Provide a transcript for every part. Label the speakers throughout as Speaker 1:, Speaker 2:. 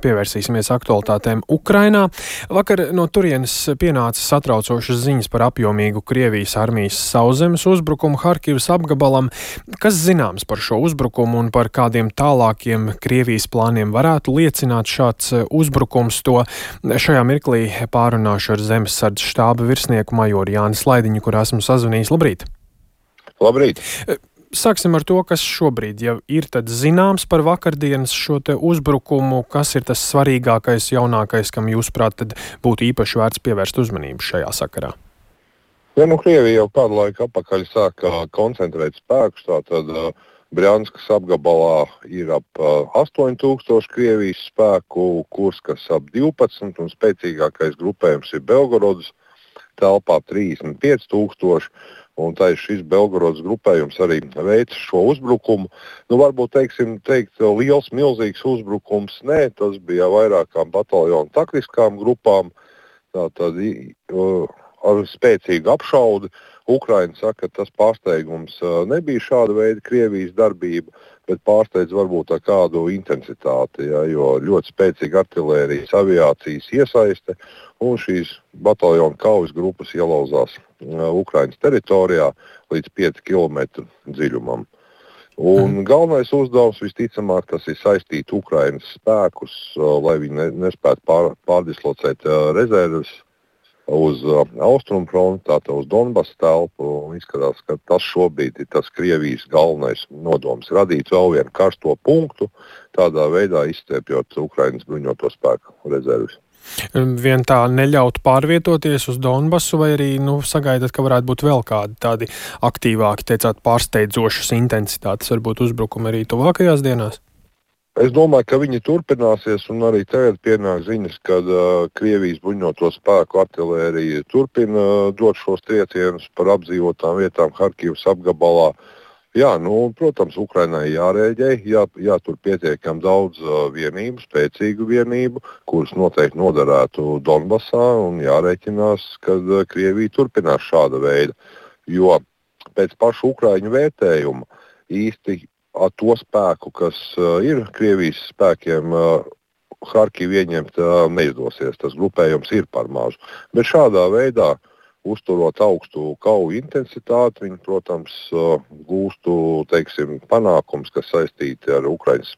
Speaker 1: Pievērsīsimies aktualitātēm Ukrainā. Vakar no turienes pienāca satraucošas ziņas par apjomīgu Krievijas armijas sauszemes uzbrukumu Harkivas apgabalam. Kas zināms par šo uzbrukumu un par kādiem tālākiem Krievijas plāniem varētu liecināt šāds uzbrukums? To šajā mirklī pārunāšu ar Zemesardzes štāba virsnieku majoru Jāni Slaidiņu, kur esmu sazvanījis. Labrīt!
Speaker 2: Labrīt!
Speaker 1: Sāksim ar to, kas šobrīd jau ir tad zināms par vakardienas šo te uzbrukumu. Kas ir tas svarīgākais, jaunākais, kam jūsuprāt tad būtu īpaši vērts pievērst uzmanību šajā sakarā?
Speaker 2: Ja, Krievija jau kādu laiku atpakaļ sāka koncentrēt spēkus, tātad Brjanskas apgabalā ir ap 8000 Krievijas spēku, Kurskas ap 12 un spēcīgākais grupējums ir Belgorodas telpā 35 000. Un tā ir šis Belgorodas grupējums arī veica šo uzbrukumu. Varbūt teikt liels, milzīgs uzbrukums. Nē, tas bija vairākām bataljonu taktiskām grupām. Tātad ar spēcīgu apšaudi. Ukraina saka, ka tas pārsteigums nebija šāda veida Krievijas darbība, bet pārsteidz varbūt ar kādu intensitāti, jo ļoti spēcīga artilērijas aviācijas iesaiste un šīs bataljonu kaujas grupas ielauzās Ukrainas teritorijā līdz 5 km dziļumam. Un galvenais uzdevums visticamāk tas ir saistīt Ukrainas spēkus, lai viņi nespētu pārdislocēt rezerves uz austrumu fronti, tātad uz Donbasu telpu. Izskatās, ka tas šobrīd ir tas Krievijas galvenais nodoms - radīt vēl vienu karsto punktu, tādā veidā izstiepjot Ukrainas bruņoto spēku rezerves.
Speaker 1: Vien tā neļaut pārvietoties uz Donbasu, vai arī sagaidat, ka varētu būt vēl kādi tādi aktīvāki, teicāt, pārsteidzošas intensitātes, varbūt uzbrukumi arī tuvākajās dienās?
Speaker 2: Es domāju, ka viņi turpināsies, un arī tagad pienāk ziņas, kad Krievijas bruņoto spēku artilērija turpina dot šos triecienus par apdzīvotām vietām Harkivas apgabalā. Jā, protams, Ukrainai jārēģē, jātur pietiekami daudz vienību, spēcīgu vienību, kuras noteikti noderētu Donbasā, un jārēķinās, ka Krievija turpinās šāda veida. Jo pēc pašu ukraiņu vērtējuma īsti ar to spēku, kas ir Krievijas spēkiem, Harkivu ieņemt neizdosies. Tas grupējums ir par mazu. Bet šādā veidā, uzturot augstu kauju intensitāti, viņi, protams, gūstu, panākums, kas saistīti ar Ukraiņas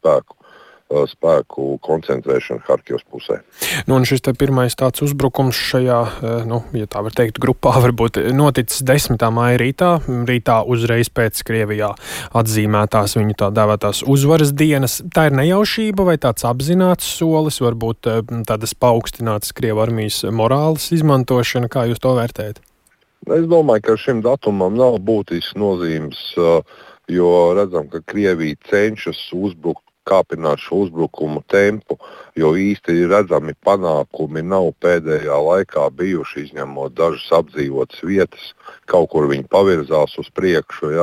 Speaker 2: spēku koncentrēšanu Harkivas pusē.
Speaker 1: Un šis te pirmais tāds uzbrukums šajā, ja tā var teikt, grupā varbūt noticis 10. maija rītā uzreiz pēc Krievijā atzīmētās viņu tā dēvētās uzvaras dienas. Tā ir nejaušība vai tāds apzināts solis, varbūt tādas paaugstinātas Krievu armijas morāles izmantošana? Kā jūs to vērtējat?
Speaker 2: Es domāju, ka šim datumam nav būtisks nozīmes, jo redzam, ka Krievija cenšas kāpināt šo uzbrukumu tempu, jo īsti redzami panākumi nav pēdējā laikā bijuši, izņemot dažas apdzīvotas vietas. Kaut kur viņi pavirzās uz priekšu,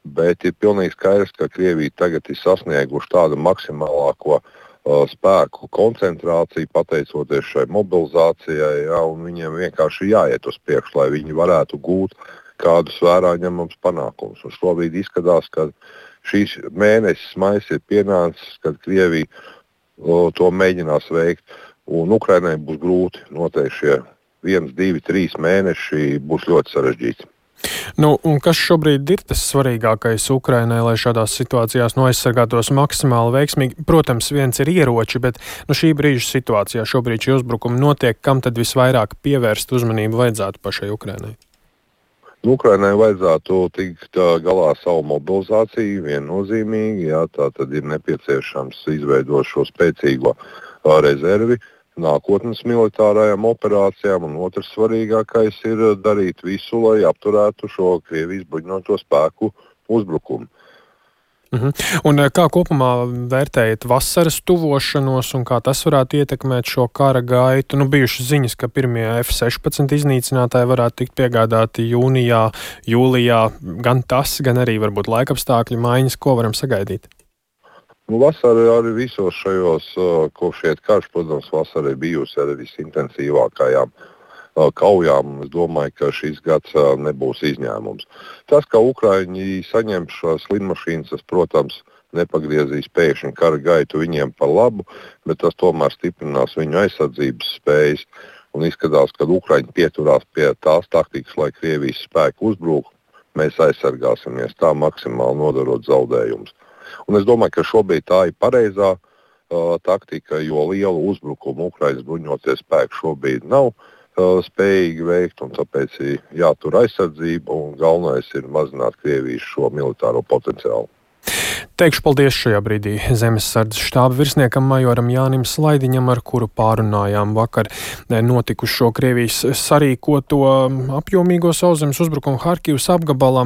Speaker 2: bet ir pilnīgi skaidrs, ka Krievija tagad ir sasnieguši tādu maksimālāko spēku koncentrāciju, pateicoties šai mobilizācijai, un viņiem vienkārši jāiet uz priekšu, lai viņi varētu gūt kādus vērā ņemams panākumus. Un šobrīd izskatās, ka šīs mēnesis maijs ir pienācis, kad Krievija to mēģinās veikt, un Ukrainai būs grūti. Noteikti šie 1, 2, 3 mēneši būs ļoti sarežģīti.
Speaker 1: Un kas šobrīd ir tas svarīgākais Ukrainai, lai šādās situācijās aizsargātos maksimāli veiksmīgi? Protams, viens ir ieroči, bet šī brīža situācijā šobrīd šie uzbrukumi notiek, kam tad visvairāk pievērst uzmanību vajadzētu pašai Ukrainai?
Speaker 2: Ukrainai vajadzētu tikt galā ar savu mobilizāciju viennozīmīgi. Tā tad ir nepieciešams izveidot šo spēcīgo rezervi nākotnes militārajām operācijām, un otrs svarīgākais ir darīt visu, lai apturētu šo Krievijas bruņoto spēku uzbrukumu.
Speaker 1: Un kā kopumā vērtējat vasaras tuvošanos un kā tas varētu ietekmēt šo kara gaitu? Bijušas ziņas, ka pirmie F-16 iznīcinātāji varētu tikt piegādāti jūnijā, jūlijā. Gan tas, gan arī varbūt laikapstākļu maiņas. Ko varam sagaidīt?
Speaker 2: Vasara arī visos šajos, kopš iet karš, protams, vasara ir bijusi arī visintensīvākajām kaujām. Es domāju, ka šis gads nebūs izņēmums. Tas, ka Ukraiņi saņem šās lidmašīnas, tas, protams, nepagriezīs pēkšņi kara gaitu viņiem par labu, bet tas tomēr stiprinās viņu aizsardzības spējas. Un izskatās, ka Ukraiņi pieturās pie tās taktikas, lai Krievijas spēki uzbruk, mēs aizsargāsimies tā maksimāli nodarot zaudējumus. Un es domāju, ka šobrīd tā ir pareizā taktika, jo lielu uzbrukumu Ukraiņas bruņoties spēki šobrīd nav spējīgi veikt, un tāpēc ir jātur aizsardzība, un galvenais ir mazināt Krievijas šo militāro potenciālu.
Speaker 1: Teikšu paldies šajā brīdī Zemesardzes štāba virsniekam majoram Jānim Slaidiņam, ar kuru pārunājām vakar notikušo Krievijas sarīkoto apjomīgo sauszemes uzbrukumu Harkivas apgabalam.